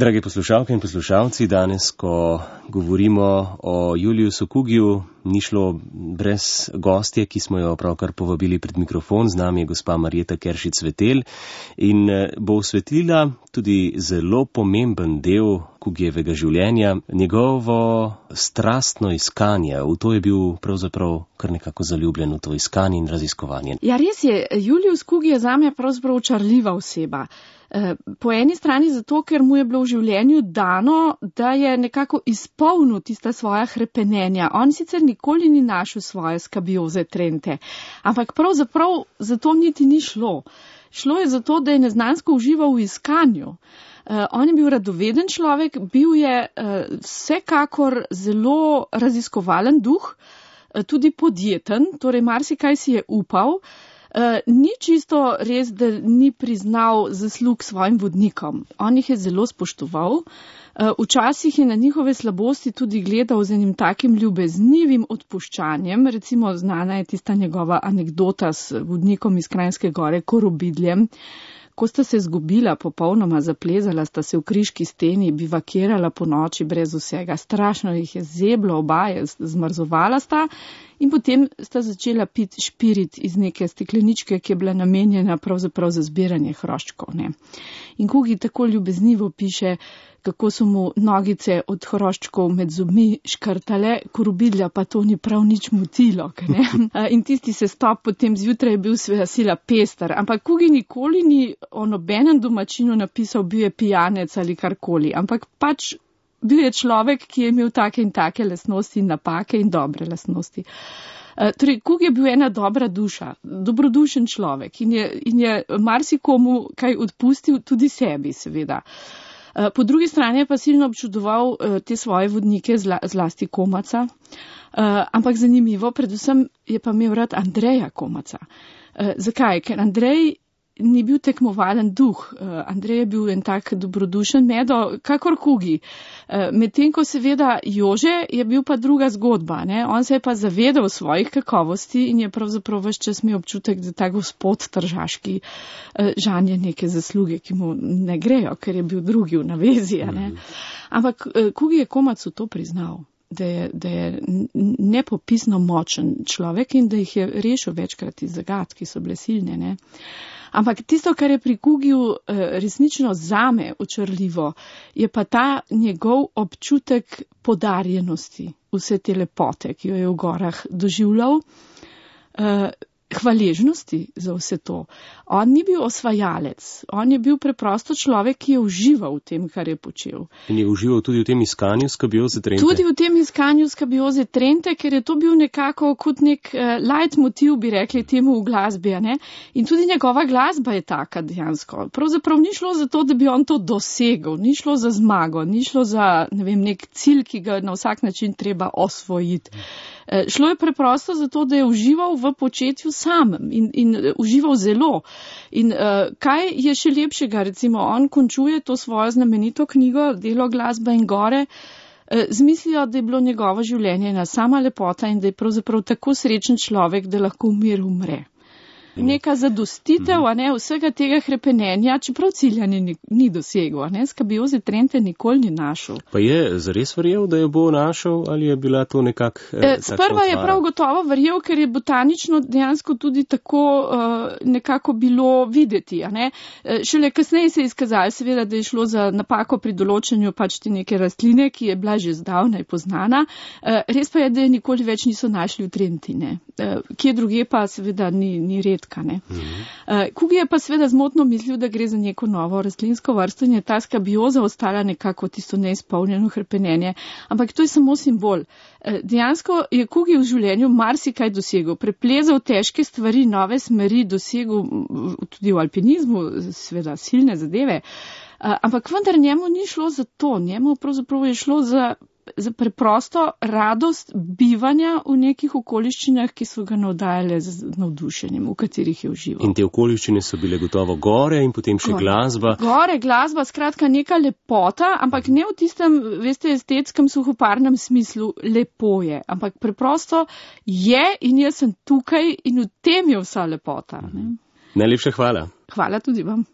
Dragi poslušalke in poslušalci, danes, ko govorimo o Juliusu Kugiju, ni šlo brez gostje, ki smo jo pravkar povabili pred mikrofon. Z nami je gospa Marjeta Keršič-Svetelj in bo osvetlila tudi zelo pomemben del Kugijevega življenja, njegovo strastno iskanje. V to je bil pravzaprav kar nekako zaljubljen, v to iskanje in raziskovanje. Ja, res je, Julius Kugi je zame pravzaprav očarljiva oseba. Po eni strani zato, ker mu je bilo v življenju dano, da je nekako izpolnil tista svoja hrepenenja. On sicer nikoli ni našel svoje skabioze trente, ampak pravzaprav zato niti ni šlo. Šlo je zato, da je neznansko užival v iskanju. On je bil radoveden človek, bil je vsekakor zelo raziskovalen duh, tudi podjeten, torej marsikaj si je upal. Ni čisto res, da ni priznal zaslug svojim vodnikom. On jih je zelo spoštoval. Včasih je na njihove slabosti tudi gledal z enim takim ljubeznivim odpuščanjem. Recimo znana je tista njegova anekdota s vodnikom iz Kranjske Gore, Korobidljem. Ko sta se zgubila, popolnoma zaplezala, sta se v križki steni, bivakirala po noči brez vsega. Strašno jih je zeblo, oba je zmrzovala sta in potem sta začela piti špirit iz neke stekleničke, ki je bila namenjena pravzaprav za zbiranje hroščkov. Ne. In Kugi tako ljubeznivo piše, kako so mu nogice od hroščkov med zobmi škrtale, Korobidlja pa to ni prav nič motilo. Ne? In tisti sestop potem zjutraj je bil sveda sila pester, ampak Kugi nikoli ni o nobenem domačinu napisal, bil je pijanec ali karkoli, ampak pač bil je človek, ki je imel take in take lastnosti in napake in dobre lastnosti. Torej, Kugi je bil ena dobra duša, dobrodušen človek in je marsikomu kaj odpustil, tudi sebi seveda. Po drugi strani je pa silno občudoval te svoje vodnike, zlasti Komaca, ampak zanimivo, predvsem je pa imel rad Andreja Komaca. Zakaj? Ker Andrej ni bil tekmovalen duh. Andrej je bil en tak dobrodušen medo, kakor Kugi. Medtem ko seveda Jože je bil pa druga zgodba. Ne? On se je pa zavedal svojih kakovosti in je pravzaprav ves čas imel občutek, da ta gospod tržaški žanje neke zasluge, ki mu ne grejo, ker je bil drugi v navezi. Ne? Ampak Kugi je Komacu to priznal, da je nepopisno močen človek in da jih je rešil večkrat iz zagad, ki so bile silne. Ne? Ampak tisto, kar je pri Kugiju resnično zame očarljivo, je pa ta njegov občutek podarjenosti, vse te lepote, ki jo je v gorah doživljal, hvaležnosti za vse to. On ni bil osvajalec, on je bil preprosto človek, ki je užival v tem, kar je počel. In je užival tudi v tem iskanju skabioze trente? Tudi v tem iskanju skabioze trente, ker je to bil nekako kot nek leitmotiv, bi rekli temu v glasbi. Ne? In tudi njegova glasba je taka dejansko. Pravzaprav ni šlo za to, da bi on to dosegel, ni šlo za zmago, ni šlo za nek cilj, ki ga na vsak način treba osvojiti. Šlo je preprosto zato, da je užival v početju samem in užival zelo. In kaj je še lepšega, recimo on končuje to svojo znamenito knjigo Delo, glasba in gore z mislijo, da je bilo njegovo življenje ena sama lepota in da je pravzaprav tako srečen človek, da lahko v miru umre. Neka zadostitev, vsega tega hrepenenja, čeprav cilja ni dosegel, skabioze trente nikoli ni našel. Pa je zares verjel, da jo bo našel, ali je bila to sprva je prav gotovo verjel, ker je botanično dejansko tudi tako nekako bilo videti. Šele kasneje se je izkazalo, seveda, da je šlo za napako pri določanju pač te neke rastline, ki je bila že zdavnaj poznana. Res pa je, da je nikoli več niso našli v Trenti. Kje druge pa seveda ni red. Kugi je pa seveda zmotno mislil, da gre za neko novo rastlinsko vrsto in je ta skabioza ostala nekako tisto neizpolnjeno hrepenenje. Ampak to je samo simbol. Dejansko je Kugi v življenju marsikaj dosegel. Preplezal težke stvari, nove smeri, dosegel tudi v alpinizmu, seveda silne zadeve. Ampak vendar njemu ni šlo za to. Njemu pravzaprav je šlo za preprosto radost bivanja v nekih okoliščinah, ki so ga navdajale z navdušenjem, v katerih je užival. In te okoliščine so bile gotovo gore in potem še glasba. Gore, glasba, skratka neka lepota, ampak ne v tistem, veste, estetskem, suhoparnem smislu lepo je, ampak preprosto je in jaz sem tukaj in v tem je vsa lepota. Ne? Najlepša hvala. Hvala tudi vam.